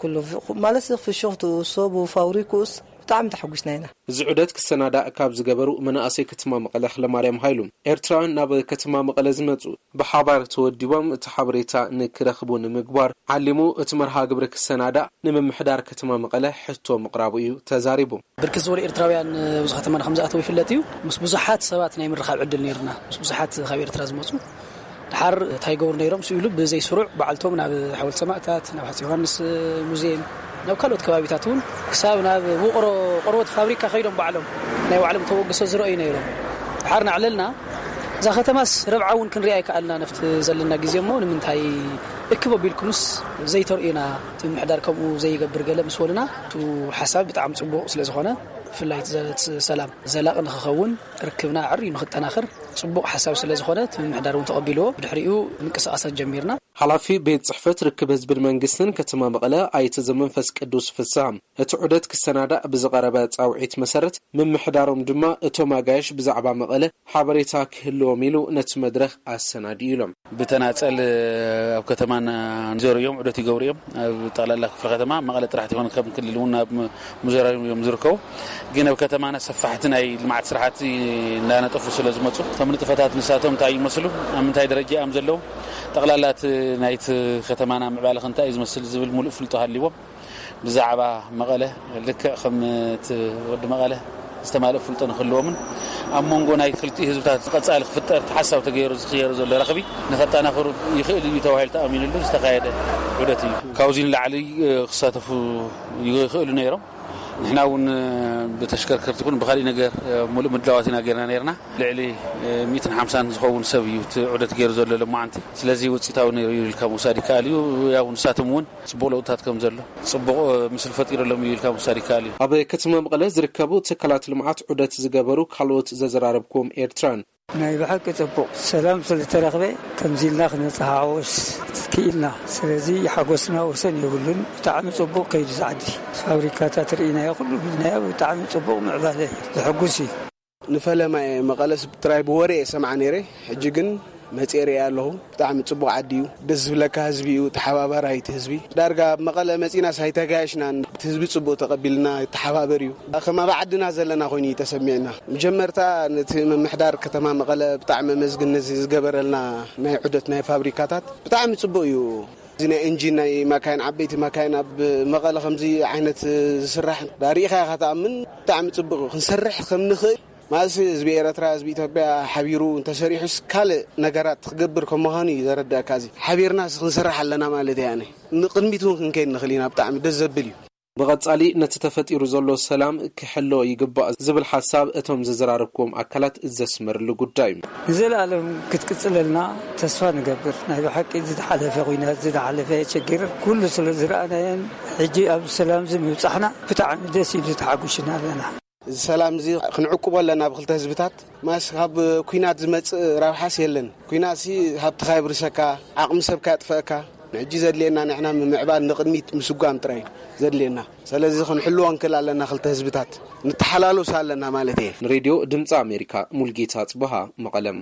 ኩሉ ፍ-፣ ማለት ፍሽኽትኡ፣ ሰቡ፣ ፋብሪክኡስ ብጣዕሚ ተሓጒስና ኢና። እዚ ዑደት ክሰናዳእ ካብ ዝገበሩ መናእሰይ ከተማ መቐለ ኽለማርያም ሃይሉ፣ ኤርትራውያን ናብ ከተማ መቐለ ዝመጹ ብሓባር ተወዲቦም እቲ ሓበሬታ ንክረኽቡ ንምግባር ዓሊሙ እቲ መርሃ ግብሪ ክሰናዳእ ንምምሕዳር ከተማ መቐለ ሕቶ ምቕራቡ እዩ ተዛሪቡ። ብርክት ዝበሉ ኤርትራውያን ኣብዚ ከተማና ከም ዝኣተዉ ይፍለጥ እዩ። ምስ ብዙሓት ሰባት ናይ ምርኻብ ዕድል ነይርና። ምስ ብዙሓት ካብ ኤርትራ ዝመጹ ድሓር እንታይ ይገብሩ ነይሮም? ስኢሉ ብዘይ ስሩዕ በዓልቶም ናብ ሓወልቲ ሰማእታት፣ ናብ ሃፀይ ዮሃንስ ሙዚየም፣ ናብ ካልኦት ከባቢታት እውን ክሳብ ናብ ውቕሮ ቆርበት ፋብሪካ ከይዶም ባዕሎም ናይ ባዕሎም ተበግሶ ዝረኣዩ ነይሮም። ድሓር ናዕለልና እዛ ከተማስ ረብዓ እውን ክንሪኣ ኣይከኣልና። ነፍቲ ዘለና ግዜ እሞ ንምንታይ እክብ ኣቢልኩምስ ዘይተርእዩና? እቲ ምምሕዳር ከምኡ ዘይገብር ገለ ምስ በሉና፣ እቲ ሓሳብ ብጣዕሚ ጽቡቕ ስለ ዝኾነ፣ ብፍላይ እቲ ዘ-፣ ሰላም ዘላቒ ንኽኸውን፣ ርክብና ኣዕርዩ ንኽጠናኸር ጽቡቕ ሓሳብ ስለ ዝኾነ፣ እቲ ምምሕዳር እውን ተቐቢልዎ፣ ብድሕሪኡ ምንቅስቓሳት ጀሚርና። ሓላፊ ቤት ጽሕፈት ርክብ ህዝብን መንግስትን ከተማ መቐለ ኣይተ ዘመንፈስ ቅዱስ ፍስሃ፣ እቲ ዑደት ክሰናዳእ ብዝቐረበ ጻውዒት መሰረት፣ ምምሕዳሮም ድማ እቶም ኣጋይሽ ብዛዕባ መቐለ ሓበሬታ ክህልዎም ኢሉ ነቲ መድረኽ ኣሰናድዩ ኢሎም። ብተናጸል ኣብ ከተማና ይዞሩ እዮም፣ ዑደት ይገብሩ እዮም። ኣብ ጠቕላላ ክፍለ ከተማ መቐለ ጥራሕ ትኾን ከም ክልል እውን ኣብ ም-፣ ምዞራዮም እዮም ዝርከቡ። ግን ኣብ ከተማና ሰፋሕቲ ናይ ልምዓት ስራሕቲ እንዳነጠፉ ስለ ዝመጹ፣ እቶም ንጥፈታት ንሳቶም እንታይ ይመስሉ፣ ኣብ ምንታይ ደረጃ እዮም ዘለዉ፣ ጠቕላላ እቲ ናይቲ ከተማና ምዕባለ ከ እንታይ እዩ ዝመስል ዝብል ሙሉእ ፍልጦ ሃልዎም፣ ብዛዕባ መቐለ ልክዕ ከም እቲ ወዲ መቐለ ዝተማልእ ፍልጦ ንክህልዎምን ኣብ መንጎ ናይ ክልቲኡ ህዝብታት ቀጻሊ ክፍጠር ሓሳብ ተገይሩ ዝኽየሩ ዘሎ ረኽቢ ንኸጠናኽሩ ይኽእል እዩ ተባሂሉ ተኣሚኑሉ ዝተኻየደ ዑደት እዩ። ካብዚ ንላዕሊ፣ እ፣ ክሳተፉ ይኽእሉ ነይሮም። ንሕና እውን፣ እ፣ ብተሽከርከርቲ ይኹን ብኻሊእ ነገር፣ እ፣ ሙሉእ ምድላዋት ኢና ገይርና ነይርና። ልዕሊ፣ እ፣ ሚእትን ሓምሳን ዝኸውን ሰብ እዩ እቲ ዑደት ገይሩ ዘሎ ሎማዓንቲ። ስለዚ ውፅኢታዊ ነይሩ እዩ ኢልካ ምውሳድ ይከኣል እዩ። ያው ንሳቶም እውን ጽቡቕ ለውጥታት ከም ዘሎ፣ ጽቡቕ፣ እ፣ ምስል ፈጢሩሎም እዩ ኢልካ ምውሳድ ይከኣል እዩ። ኣብ ከተማ መቐለ ዝርከቡ ትካላት ልምዓት ዑደት ዝገበሩ ካልኦት ዘዘራረብኩም ኤርትራን። ናይ ብሓቂ ጽቡቕ ሰላም ስለ ዝተረኽበ ከምዚ ኢልና ክነተሓዋወስ ክኢልና። ስለዚ ሓጎስና ወሰን የብሉን። ብጣዕሚ ጽቡቕ ከይዱ ዝዓዲ ፋብሪካታት ርኢናዮ፣ ኩሉ ብልናዮ፣ ብጣዕሚ ጽቡቕ ምዕባለ እዩ። ዘሐጉስ እዩ። ንፈለማ እየ መቐለስ ጥራይ ብወሬ እየ ሰምዓ ነይረ። ሕጂ ግን መፅኤ ርእየ ኣለኹ። ብጣዕሚ ፅቡቕ ዓዲ እዩ። ደስ ዝብለካ ህዝቢ እዩ። ተሓባባራይ እቲ ህዝቢ። ዳርጋ ኣብ መቐለ መፂናስ ኣይተጋየሽናን። እቲ ህዝቢ ፅቡቕ ተቐቢልና ይተሓባበር እዩ። ከም ኣብ ዓድና ዘለና ኮይኑ እዩ ተሰሚዕና። መጀመርታ ነቲ ምምሕዳር ከተማ መቐለ ብጣዕሚ ኣመስግን ነዚ ዝገበረልና ናይ ዑደት ናይ ፋብሪካታት። ብጣዕሚ ፅቡቕ እዩ። እዚ ናይ ኢንጂን ናይ ማካይን፣ ዓበይቲ ማካይን ኣብ መቐለ ከምዚ ዓይነት ዝስራሕ ዳሪእኻ ኢኻ ትኣምን። ብጣዕሚ ፅቡቕ እዩ። ክንሰርሕ ከም ንኽእል ማለት ህዝቢ ኤረትራ፣ ህዝቢ ኢትዮጵያ ሓቢሩ እንተሰሪሑስ ካልእ ነገራት ክገብር ከም ምዃኑ እዩ ዘረድኣካ። እዚ ሓቢርናስ ክንሰርሕ ኣለና ማለት እየ ኣነ። ንቕድሚት እውን ክንከይድ ንኽእል ኢና። ብጣዕሚ ደስ ዘብል እዩ። ብቐጻሊ ነቲ ተፈጢሩ ዘሎ ሰላም ክሕሎ ይግባእ ዝብል ሓሳብ እቶም ዘዘራረብክዎም ኣካላት ዘስመርሉ ጉዳይ እዩ። ንዘለኣለም ክትቅጽለልና ተስፋ ንገብር። ናይ ብሓቂ ዝተሓለፈ ኲናት፣ ዝተሓለፈ ችግር ኩሉ ስለ ዝረኣናዮን ሕጂ ኣብ ሰላም እዚ ምብጻሕና ብጣዕሚ ደስ ኢሉ ተሓጒስና ኣለና። እዚ ሰላም እዚ ክንዕቅቦ ኣለና ብክልተ ህዝብታት። ማስ ካብ ኲናት ዝመጽእ ረብሓስ የለን። ኲናትሲ ሃብትኻ የብርሰካ፣ ዓቕሚ ሰብካ የጥፈእካ። ሕጂ ዘድልየና ንሕና ምምዕባል ንቕድሚት ምስጓም ጥራይ እዩ ዘድልየና። ስለዚ ክንሕልዎ ንክእል ኣለና ክልተ ህዝብታት። ንተሓላሎስ ኣለና ማለት እየ። ንሬድዮ ድምፂ ኣሜሪካ ሙልጌታ ጽበሃ መቐለም።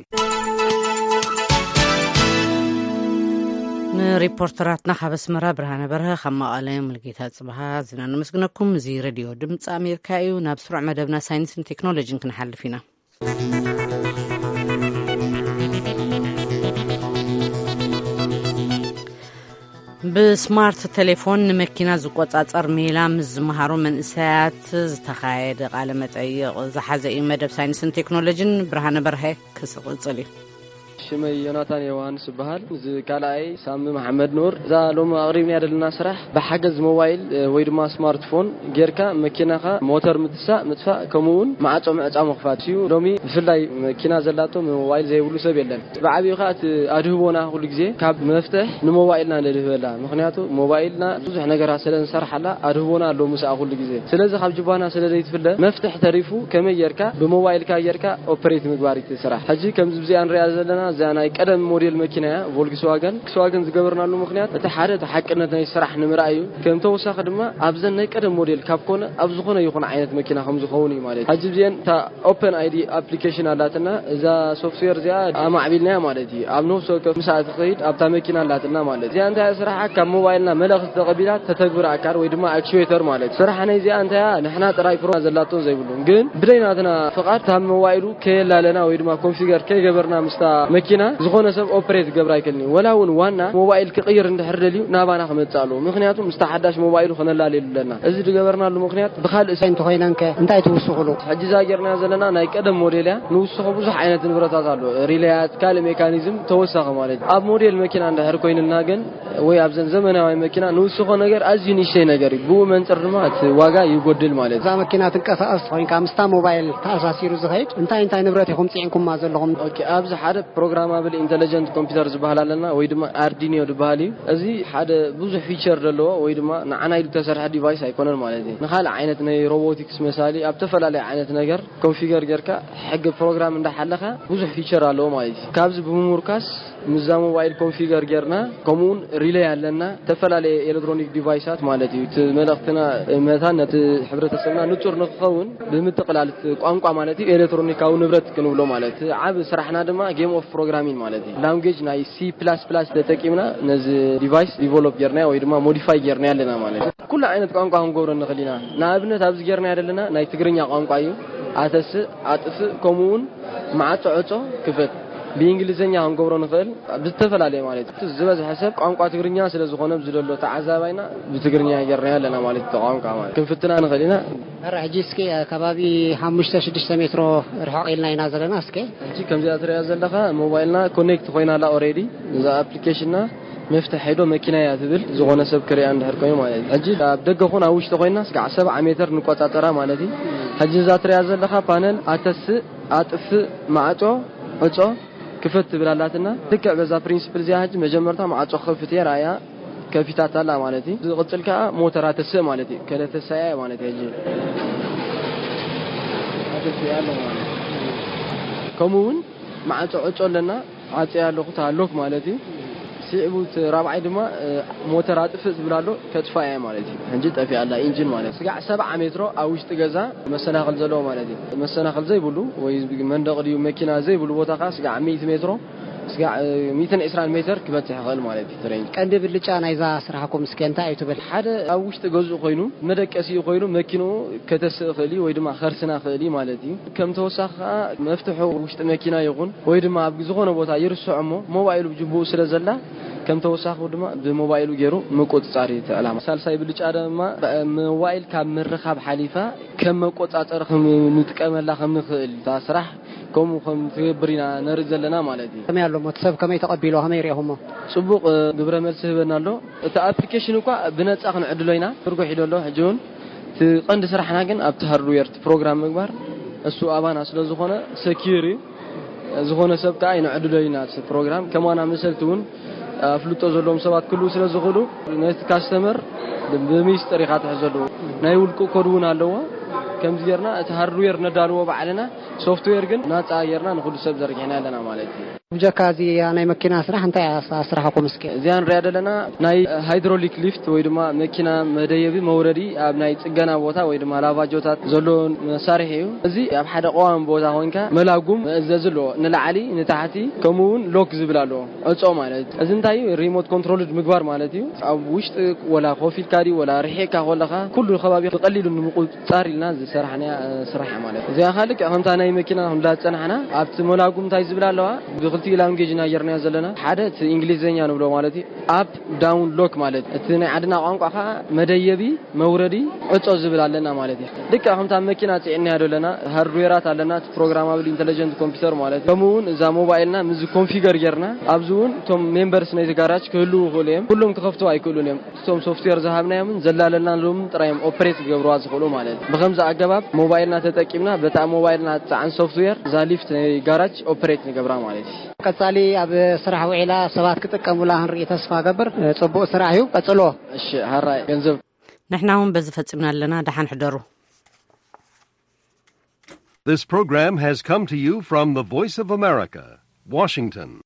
ንሪፖርተራትና ካብ ኣስመራ ብርሃነ በርሀ፣ ካብ መቐለ ሙልጌታ ጽበሃ ዝና ነመስግነኩም። እዚ ሬድዮ ድምፂ ኣሜሪካ እዩ። ናብ ስሩዕ መደብና ሳይንስን ቴክኖሎጂን ክንሓልፍ ኢና። ብስማርት ቴሌፎን ንመኪና ዝቆጻጸር ሜላ ምስ ዝመሃሩ መንእሰያት ዝተኻየደ ቃለ መጠይቕ ዝሓዘ እዩ። መደብ ሳይንስን ቴክኖሎጂን ብርሃነ በርሀ ክስቕጽል እዩ። ሽመይ ዮናታን ዮሃንስ ይበሃል። እዚ ካልኣይ ሳሚ መሓመድ ኑር። እዛ ሎሚ ኣቕሪብና ዘለና ስራሕ ብሓገዝ ሞባይል፣ እ፣ ወይ ድማ ስማርትፎን ጌርካ መኪናኻ ሞተር ምትሳእ፣ ምጥፋእ፣ ከምኡ እውን ማዕጾ ምዕጻው ምኽፋት እዩ። ሎሚ ብፍላይ መኪና ዘላቶ ሞባይል ዘይብሉ ሰብ የለን። ብዓቢኡ ኸኣ እቲ ኣድህቦና ኩሉ ግዜ ካብ መፍትሕ ንሞባይልና ነድህበላ። ምኽንያቱ ሞባይልና ብዙሕ ነገራት ስለ ንሰርሓላ ኣድህቦና ኣሎ ምስኣ ኩሉ ግዜ። ስለዚ ካብ ጅባና ስለ ዘይትፍለ መፍትሕ ተሪፉ ከመይ ጌርካ ብሞባይልካ ጌርካ ኦፐሬት ምግባር እቲ ስራሕ። ሕጂ ከምዚ ብዚኣ ንሪኣ ዘለና እዚኣ ናይ ቀደም ሞዴል መኪና እያ፣ ቮልክስዋገን። ቮልክስዋገን ዝገበርናሉ ምኽንያት እቲ ሓደ እቲ ሓቅነት ናይ ስራሕ ንምርኣይ እዩ። ከም ተወሳኺ ድማ ኣብዘን ናይ ቀደም ሞዴል ካብ ኮነ ኣብ ዝኾነ ይኹን ዓይነት መኪና ከም ዝኸውን እዩ ማለት እዩ። ሕጂ ብዚአን እታ ኦፐን ኣይዲ ኣፕሊኬሽን ኣላትና። እዛ ሶፍትዌር እዚኣ ኣማዕቢልናያ ማለት እዩ። ኣብ ነፍሲ ወከፍ ምስኣ ትኸይድ ኣብታ መኪና ኣላትና ማለት እዩ። እዚኣ እንታይ እያ ስራሓ? ካብ ሞባይልና መልእኽቲ ተቐቢላ ተተግብር ኣካል ወይ ድማ ኣክቹዌተር ማለት እዩ። ስራሕ ናይ እዚኣ እንታይ እያ? ንሕና ጥራይ ፕሮ ዘላቶን ዘይብሉን፣ ግን ብደይ ናትና ፍቓድ ካብ ሞባይሉ ከየላለና ወይ ድማ ኮንፊገር ከይገበርና ምስታ መኪና ዝኾነ ሰብ ኦፕሬት ክገብር ኣይክእልን እዩ። ወላ እውን ዋና ሞባይል ክቕይር እንድሕር ደልዩ ናባና ክመጽእ ኣለዎ። ምኽንያቱ ምስታ ሓዳሽ ሞባይሉ ክነላልየሉ ኣለና። እዚ ዝገበርናሉ ምኽንያት ብኻልእ ሰ- እንተኾይነን ከ እንታይ ትውስኹሉ? ሕጂ እዛ ጌርና ዘለና ናይ ቀደም ሞዴል እያ። ንውስኾ ብዙሕ ዓይነት ንብረታት ኣሎ። ሪለያት፣ ካልእ ሜካኒዝም ተወሳኺ ማለት እዩ። ኣብ ሞዴል መኪና እንድሕር ኮይንና ግን ወይ ኣብዘን ዘመናዊ መኪና ንውስኾ ነገር ኣዝዩ ንእሽተይ ነገር እዩ። ብኡ መንጽር ድማ እቲ ዋጋ ይጎድል ማለት እዩ። እዛ መኪና ትንቀሳቐስ ኮይንካ ምስታ ሞባይል ተኣሳሲሩ ዝኸይድ እንታይ እንታይ ንብረት ኢኹም ጽዒንኩማ ዘለኹም? ኦኬ፣ ኣብዚ ሓደ ፕሮግራማብል ኢንተለጀንት ኮምፒውተር ዝበሃል ኣለና ወይ ድማ ኣርዲኒዮ ዝበሃል እዩ። እዚ ሓደ ብዙሕ ፊቸር ዘለዎ ወይ ድማ ንዓና ኢሉ ተሰርሐ ዲቫይስ ኣይኮነን ማለት እዩ። ንኻልእ ዓይነት ናይ ሮቦቲክስ መሳሊ ኣብ ተፈላለየ ዓይነት ነገር ኮንፊገር ጌርካ ሕጊ ፕሮግራም እንዳሓለኻ ብዙሕ ፊቸር ኣለዎ ማለት እዩ። ካብዚ ብምሙርካስ ምስዛ ሞባይል ኮንፊገር ጌርና ከምኡውን ሪለይ ኣለና። ተፈላለየ ኤሌክትሮኒክ ዲቫይሳት ማለት እዩ። እቲ መልእኽትና መታን ነቲ ሕብረተሰብና ንጹር ንክኸውን ብምጥቕላል እቲ ቋንቋ ማለት እዩ ኤሌክትሮኒካዊ ንብረት ክንብሎ ማለት እዩ። ዓቢ ስራሕና ድማ ጌም ኦፍ ፕሮግራሚን ማለት እዩ። ላንጉጅ ናይ ሲ ፕላስ ፕላስ ተጠቂምና ነዚ ዲቫይስ ዲቨሎፕ ጌርናዮ ወይ ድማ ሞዲፋይ ጌርናዮ ኣለና ማለት እዩ። ኩሉ ዓይነት ቋንቋ ክንገብሮ ንኽእል ኢና። ንኣብነት ኣብዚ ጌርናዮ ዘለና ናይ ትግርኛ ቋንቋ እዩ። ኣተስእ፣ ኣጥፍእ፣ ከምኡ እውን ማዕጾ ዕጾ ክፈት ብእንግሊዝኛ ክንገብሮ ንኽእል። ብዝተፈላለየ ማለት እዩ። ዝበዝሐ ሰብ ቋንቋ ትግርኛ ስለ ዝኾነ ኣብዚ ዘሎ ተዓዛባይና ብትግርኛ ጌርናዮ ኣለና ማለት እዩ። ቋንቋ ማለት ክንፍትና ንኽእል ኢና። ሕጂ እስኪ ከባቢ ሓሙሽተ ሽዱሽተ ሜትሮ ርሕቕ ኢልና ኢና ዘለና። እስኪ ሕጂ ከምዚኣ ትሪኣ ዘለኻ ሞባይልና ኮኔክት ኮይና ኣላ ኦሬዲ። እዛ ኣፕሊኬሽንና መፍትሕ ሄዶ መኪና እያ ትብል፣ ዝኾነ ሰብ ክሪኣ እንድሕር ኮይኑ ማለት እዩ። ሕጂ ኣብ ደገ ኹን ኣብ ውሽጢ ኮይና ስጋዕ ሰብዓ ሜትር ንቆጻጸራ ማለት እዩ። ሕጂ እዛ ትሪኣ ዘለኻ ፓነል ኣተስእ፣ ኣጥፍእ፣ ማዕጾ፣ ዕጾ፣ ክፈት ትብል ኣላትና። ልክዕ በዛ ፕሪንስፕል እዚኣ ሕጂ መጀመርታ ማዕጾ ክኸፍት እየ ራእያ ከፊታታ ኣላ ማለት እዩ። ዝቕጽል ከኣ ሞተራ ተስእ ማለት እዩ። ከለ ተሳያ ማለት እዩ። ሕጂ ኣተስእ ኣሎ ማለት እዩ። ከምኡ እውን ማዕጾ ዕጾ ኣለና። ዓጽያ ኣለኹ ተሃሎክ ማለት እዩ። ስዒቡ እቲ ራብዓይ ድማ እ፣ ሞተር ኣጥፍእ ዝብል ኣሎ። ከጥፋ እያ ማለት እዩ። ሕጂ ጠፊኣ ኣላ ኢንጂን ማለት እዩ። ስጋዕ ሰብዓ ሜትሮ ኣብ ውሽጢ ገዛ መሰናኽል ዘለዎ ማለት እዩ። መሰናኽል ዘይብሉ ወይ መንደቕ ድዩ መኪና ዘይብሉ ቦታ ከዓ ስጋዕ ሚእቲ ሜትሮ ስጋዕ እ፣ ሚእትን ዕስራን ሜትር ክበጽሕ ይኽእል ማለት እዩ። ትሬን ቀንዲ ብልጫ ናይዛ ስራሕኩም እስከ እንታይ እዩ ትብል? ሓደ ኣብ ውሽጢ ገዝኡ ኮይኑ መደቀሲኡ ኮይኑ መኪንኡ ከተስእ ይኽእል እዩ ወይ ድማ ከርስና ይኽእል እዩ ማለት እዩ። ከም ተወሳኺ ከዓ መፍትሑ ውሽጢ መኪና ይኹን ወይ ድማ ኣብ ዝኾነ ቦታ ይርስዖ እሞ ሞባይሉ ብጅቡኡ ስለ ዘላ ከም ተወሳኺ ድማ ብሞባይሉ ገይሩ ምቁጽጻር እዩ እቲ ዕላማ። ሳልሳይ ብልጫ ድማ ብ-፣ ሞባይል ካብ ምርኻብ ሓሊፋ ከም መቆጻጸሪ ከም ንጥቀመላ ከም ንኽእል እታ ስራሕ ከምኡ ከም ትገብር ኢና ነርኢ ዘለና ማለት እዩ። ከመይ ኣሎ እሞ እቲ ሰብ ከመይ ተቐቢሎ ከመይ ሪኢኹሞ? ጽቡቕ እ፣ ግብረ መልሲ ህበና ኣሎ። እቲ ኣፕሊኬሽን እኳ ብነጻ ክንዕድሎ ኢና ትርጉሕ ኢሉ ኣሎ። ሕጂ እውን እቲ ቀንዲ ስራሕና ግን ኣብቲ ሃርድዌር እቲ ፕሮግራም ምግባር እሱ ኣባና ስለ ዝኾነ ሰኪር እዩ። ዝኾነ ሰብ ከዓ ይንዕድሎ ኢና እቲ ፕሮግራም። ከማና መሰልቲ እውን ኣፍልጦ ዘለዎም ሰባት ክህልዉ ስለ ዝኽእሉ ነቲ ካስተመር ብሚስጥር ኢኻ ትሕዘሉ። ናይ ውልቂ ኮድ እውን ኣለዎ። ከምዚ ጌርና እቲ ሃርድዌር ነዳልዎ ባዕልና፣ ሶፍትዌር ግን ናጻ ጌርና ንኹሉ ሰብ ዘርጊሕና ኣለና ማለት እዩ። ብጀካ እዚ ናይ መኪና ስራሕ እንታይ እያ ስራሕኩም እስኪ? እዚኣ ንሪኣ ዘለና ናይ ሃይድሮሊክ ሊፍት ወይ ድማ መኪና መደየቢ መውረዲ ኣብ ናይ ጽገና ቦታ ወይ ድማ ላቫጆታት ዘሎ መሳርሒ እዩ። እዚ ኣብ ሓደ ቀዋሚ ቦታ ኮይንካ መላጉም መእዘዚ ኣለዎ። ንላዕሊ፣ ንታሕቲ፣ ከምኡ እውን ሎክ ዝብል ኣለዎ። ዕጾ ማለት እዚ እንታይ እዩ? ሪሞት ኮንትሮልድ ምግባር ማለት እዩ። ኣብ ውሽጢ ወላ ኮፍ ኢልካ ድዩ ወላ ርሒቕካ ከለኻ ኩሉ ከባቢ ብቐሊሉ ንምቁጽጻር ኢልና ዝሰራሕናያ ስራሕ ማለት እዩ። እዚኣ ኸኣ ልክዕ ከምታ ናይ መኪና ክንብላ ዝጸናሕና ኣብቲ መላጉም እንታይ ዝብል ኣለዋ? ብኽልተ እቲ ላንጌጅ ኢና ጌርናዮ ዘለና ሓደ እቲ እንግሊዝኛ ንብሎ ማለት እዩ። ኣፕ ዳውን ሎክ ማለት እዩ። እቲ ናይ ዓድና ቋንቋ ከዓ መደየቢ መውረዲ ዕጾ ዝብል ኣለና ማለት እዩ። ልክዕ ከምታ መኪና ፅዕንያ ኣለና፣ ሃርድዌራት ኣለና፣ እቲ ፕሮግራማብል ኢንተለጀንት ኮምፒውተር ማለት እዩ። ከምኡ እውን እዛ ሞባይልና ምስ ኮንፊገር ጌርና ኣብዚ እውን እቶም ሜምበርስ ናይቲ ጋራጅ ክህልዉ ይኽእሉ እዮም። ኩሎም ክኸፍቱ ኣይክእሉን እዮም። እቶም ሶፍትዌር ዝሃብናዮምን ዘላለናሎምን ጥራዮም ኦፕሬት ክገብርዋ ዝኽእሉ ማለት እዩ። ብኸምዚ ኣገባብ ሞባይልና ተጠቂምና በታ ሞባይልና ትፀዓን ሶፍትዌር እዛ ሊፍት ናይ ጋራጅ ኦፕሬት ንገብራ ማለት እዩ። ቀጻሊ ኣብ ስራሕ ውዒላ ሰባት ክጥቀሙላ ክንርኢ ተስፋ ገብር። ጽቡቕ ስራሕ እዩ፣ ቀጽሎ። እሺ፣ ሃራይ ገንዘብ። ንሕና እውን በዚ ፈጺምና ኣለና። ደሓን ሕደሩ። This program has come to you from the Voice of America, Washington.